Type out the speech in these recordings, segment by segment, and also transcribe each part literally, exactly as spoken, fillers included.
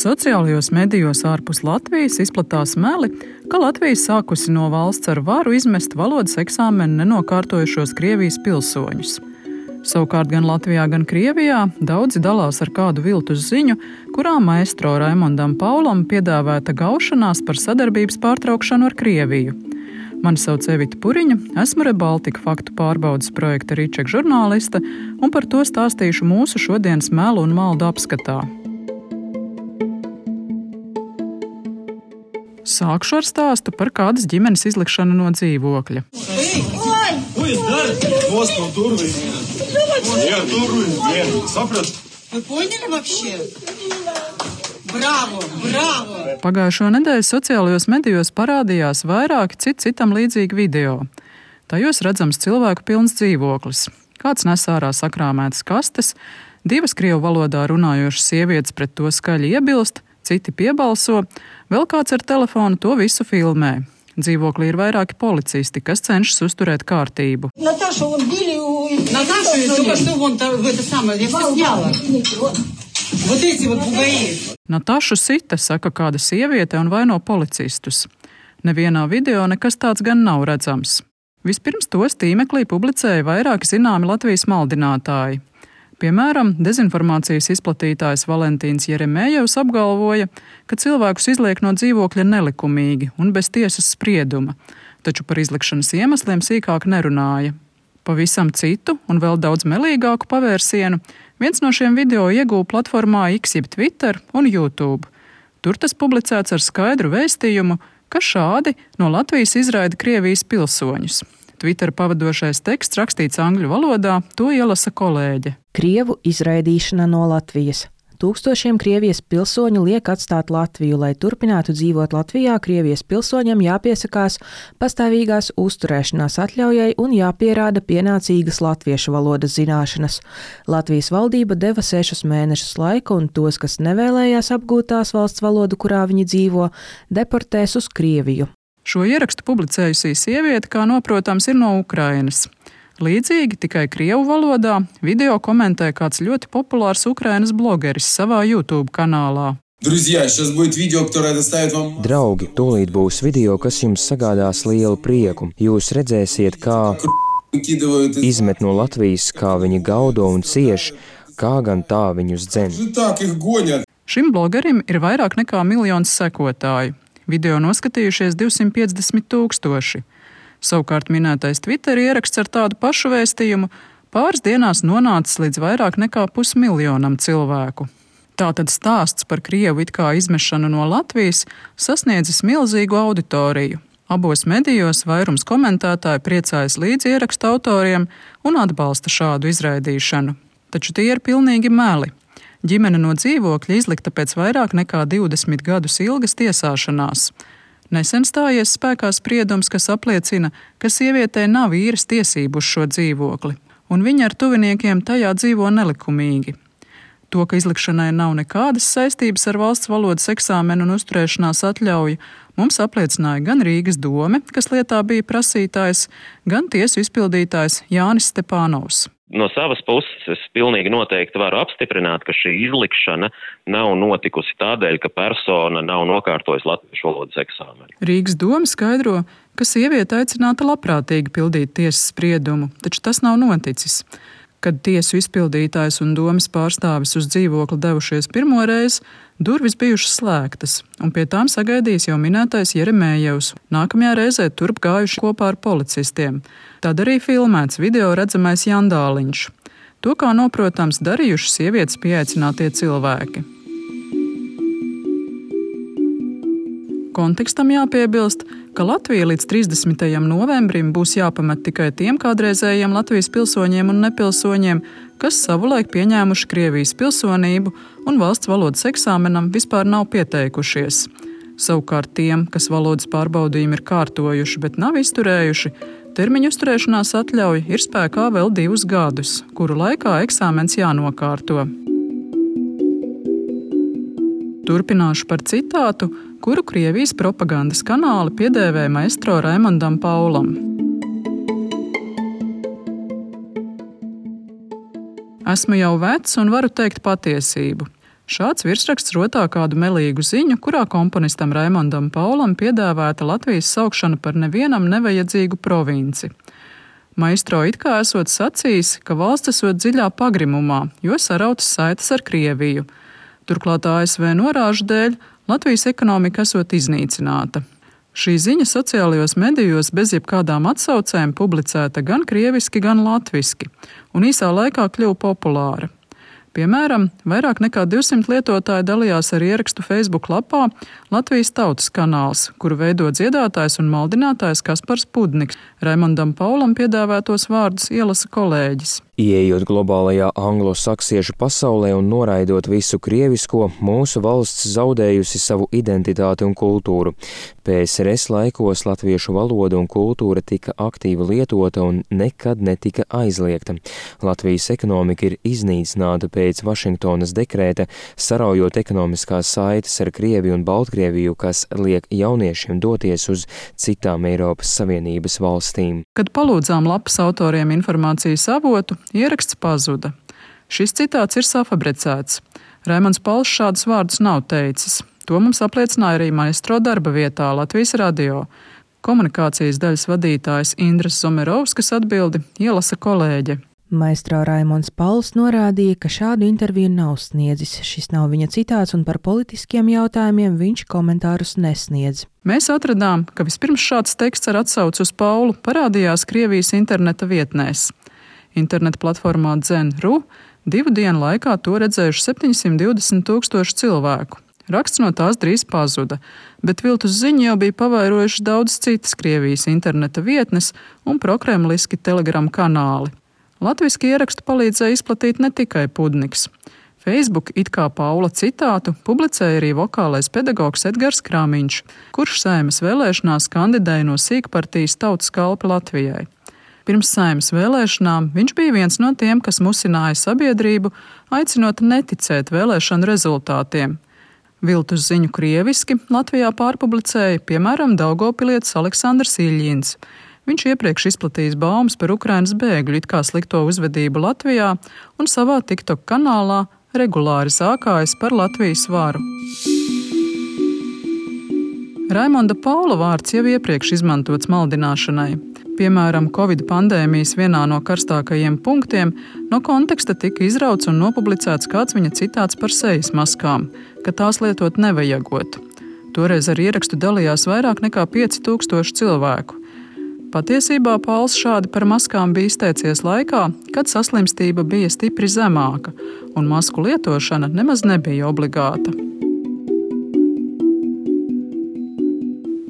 Sociālajos medijos ārpus Latvijas izplatās meli, ka Latvija sākusi no valsts ar varu izmest valodas eksāmenu nenokārtojušos Krievijas pilsoņus. Savukārt gan Latvijā, gan Krievijā daudzi dalās ar kādu viltus ziņu, kurā maestro Raimondam Paulam piedāvāta gaušanās par sadarbības pārtraukšanu ar Krieviju. Mani sauc Evita Puriņa, esmu Rebaltika faktu pārbaudes projekta Rīčeka žurnāliste, un par to stāstīšu mūsu šodienas melu un maldu apskatā. Sākšu ar stāstu par kādas ģimenes izlikšanu no dzīvokļa. Bravo, bravo! Pagājušo nedēļu sociālajos medijos parādījās vairāki cit citam līdzīgi video. Tajos redzams cilvēku pilns dzīvoklis. Kāds nes ārā sakrāmētas kastes, divas krievu valodā runājošas sievietes pret to skaļi iebilst, citi piebalso, vēl kāds ar telefonu to visu filmē. Dzīvoklī ir vairāki policisti, kas cenšas uzturēt kārtību. Наташу, он били у... Наташу, только что вон в это самое, я все сняла. Вот эти вот бугаи. Natašu sita, saka kāda sieviete un vaino policistus. Nevienā video nekas tāds gan nav redzams. Vispirms tos tīmeklī publicēja vairāki zināmi Latvijas maldinātāji. Piemēram, dezinformācijas izplatītājs Valentīns Jeremējevs apgalvoja, ka cilvēkus izliek no dzīvokļa nelikumīgi un bez tiesas sprieduma, taču par izlikšanas iemesliem sīkāk nerunāja. Pavisam citu un vēl daudz melīgāku pavērsienu viens no šiem video ieguva platformā X jeb Twitter un YouTube. Tur tas publicēts ar skaidru vēstījumu, ka šādi no Latvijas izraida Krievijas pilsoņus. Twitter pavadošais teksts rakstīts angļu valodā, to ielasa kolēģe. Krievu izraidīšana no Latvijas. Tūkstošiem Krievijas pilsoņu liek atstāt Latviju, lai turpinātu dzīvot Latvijā. Krievijas pilsoņiem jāpiesakās pastāvīgās uzturēšanās atļaujai un jāpierāda pienācīgas latviešu valodas zināšanas. Latvijas valdība deva sešus mēnešus laika, un tos, kas nevēlējās apgūt tās valsts valodu, kurā viņi dzīvo, deportēs uz Krieviju. Šo ierakstu publicējusī sieviete, kā noprotams, ir no Ukrainas. Līdzīgi, tikai krievu valodā, video komentē kāds ļoti populārs Ukrainas blogeris savā YouTube kanālā. Draugi, tūlīt būs video, kas jums sagādās lielu prieku. Jūs redzēsiet, kā izmet no Latvijas, kā viņi gaudo un cieš, kā gan tā viņus dzen. Šim blogerim ir vairāk nekā miljons sekotāju. Video noskatījušies divsimt piecdesmit tūkstoši. Savukārt minētais Twitter ieraksts ar tādu pašu vēstījumu pāris dienās nonācis līdz vairāk nekā pusmiljonam cilvēku. Tātad stāsts par Krievu it kā izmešanu no Latvijas sasniedzis milzīgu auditoriju. Abos medijos vairums komentētāji priecājas līdz ieraksta autoriem un atbalsta šādu izraidīšanu. Taču tie ir pilnīgi meli. Ģimene no dzīvokļa izlikta pēc vairāk nekā divdesmit gadus ilgas tiesāšanās. Nesen stājies spēkā spriedums, kas apliecina, ka sievietei nav īres tiesību uz šo dzīvokli, un viņa ar tuviniekiem tajā dzīvo nelikumīgi. To, ka izlikšanai nav nekādas saistības ar valsts valodas eksāmenu un uzturēšanās atļauju, mums apliecināja gan Rīgas dome, kas lietā bija prasītājs, gan tiesu izpildītājs Jānis Stepānovs. No savas puses es pilnīgi noteikti varu apstiprināt, ka šī izlikšana nav notikusi tādēļ, ka persona nav nokārtojusi latviešu valodas eksāmenu. Rīgas doma skaidro, ka sieviete aicināta labprātīgi pildīt tiesas spriedumu, taču tas nav noticis. Kad tiesu izpildītājs un domas pārstāvis uz dzīvokli devušies pirmo reizi, durvis bijušas slēgtas, un pie tām sagaidījis jau minētais Jeremējevs. Nākamajā reizē turp gājuši kopā ar policistiem. Tad arī filmēts video redzamais Jandāliņš. To, kā noprotams, darījuši sievietes pieaicinātie cilvēki. Kontekstam jāpiebilst, ka Latvija līdz trīsdesmitajam novembrim būs jāpamet tikai tiem kādreizējiem Latvijas pilsoņiem un nepilsoņiem, kas savulaik pieņēmuši Krievijas pilsonību un valsts valodas eksāmenam vispār nav pieteikušies. Savukārt tiem, kas valodas pārbaudījumi ir kārtojuši, bet nav izturējuši, termiņu uzturēšanās atļauja ir spēkā vēl divus gadus, kuru laikā eksāmens jānokārto. Turpināšu par citātu, kuru Krievijas propagandas kanāli piedēvēja maestro Raimondam Paulam. Esmu jau vecs un varu teikt patiesību. Šāds virsraksts rotā kādu melīgu ziņu, kurā komponistam Raimondam Paulam piedāvāta Latvijas saukšana par nevienam nevajadzīgu provinci. Maistro it kā esot sacījis, ka valsts esot dziļā pagrimumā, jo sarautas saites ar Krieviju. Turklāt A S V norāžu dēļ Latvijas ekonomika esot iznīcināta. Šī ziņa sociālajos medijos bez jebkādām atsaucēm publicēta gan krieviski, gan latviski, un īsā laikā kļuva populāra. Piemēram, vairāk nekā divsimt lietotāji dalījās ar ierakstu Facebook lapā Latvijas Tautas kanāls, kuru veido dziedātājs un maldinātājs Kaspars Pudniks. Raimondam Paulam piedāvātos vārdus ielasa kolēģis. Ieejot globālajā anglosaksiešu pasaulē un noraidot visu krievisko, mūsu valsts zaudējusi savu identitāti un kultūru. P S R S laikos latviešu valoda un kultūra tika aktīvi lietota un nekad netika aizliegta. Latvijas ekonomika ir iznīcināta pēc Vašingtonas dekrēta, saraujot ekonomiskās saites ar Krieviju un Baltkrieviju, kas liek jauniešiem doties uz citām Eiropas Savienības valstīm. Kad palūdzām lapas autoriem informācijas avotu, ieraksts pazuda. Šis citāts ir safabricēts. Raimonds Pauls šādus vārdus nav teicis. To mums apliecināja arī maestro darba vietā Latvijas radio. Komunikācijas daļas vadītājs Indras Zomerovskas atbildi ielasa kolēģe. Maestro Raimonds Pauls norādīja, ka šādu interviju nav sniedzis. Šis nav viņa citāts un par politiskiem jautājumiem viņš komentārus nesniedz. Mēs atradām, ka vispirms šāds teksts ar atsauci uz Paulu parādījās Krievijas interneta vietnēs. Interneta platformā Dzen punkt ru divu dienu laikā to redzējuši septiņsimt divdesmit tūkstoši cilvēku. Raksts no tās drīz pazuda, bet viltus ziņu jau bija pavairojuši daudz citas Krievijas interneta vietnes un prokremliski telegram kanāli. Latviski ierakstu palīdzēja izplatīt ne tikai Pudniks. Facebook it kā Paula citātu publicēja arī vokālais pedagogs Edgars Krāmiņš, kurš Saeimas vēlēšanās kandidēja no sīkpartijas Tautas kalpi Latvijai. Pirms Saeimas vēlēšanām viņš bija viens no tiem, kas musināja sabiedrību, aicinot neticēt vēlēšanu rezultātiem. Viltus ziņu krieviski Latvijā pārpublicēja, piemēram, daugavpilietis Aleksandrs Iļņins. Viņš iepriekš izplatījis baumas par Ukrainas bēgļu it kā slikto uzvedību Latvijā un savā TikTok kanālā regulāri sākājas par Latvijas varu. Raimonda Paula vārds jau iepriekš izmantots maldināšanai. Piemēram, Covid pandēmijas vienā no karstākajiem punktiem no konteksta tika izrauts un nopublicēts kāds viņa citāts par sejas maskām, ka tās lietot nevajagot. Toreiz ar ierakstu dalījās vairāk nekā pieci tūkstoši cilvēku. Patiesībā Pauls šādi par maskām bija izteicies laikā, kad saslimstība bija stipri zemāka, un masku lietošana nemaz nebija obligāta.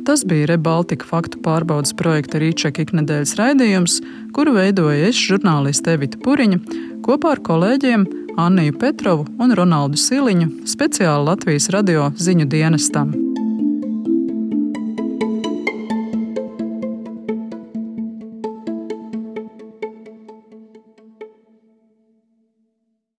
Tas bija ReBaltica faktu pārbaudes projekta Rīčeka iknedēļas raidījums, kuru veidoja es, žurnāliste Evita Puriņa, kopā ar kolēģiem Anniju Petrovu un Ronaldu Siliņu, speciāli Latvijas radio ziņu dienestam.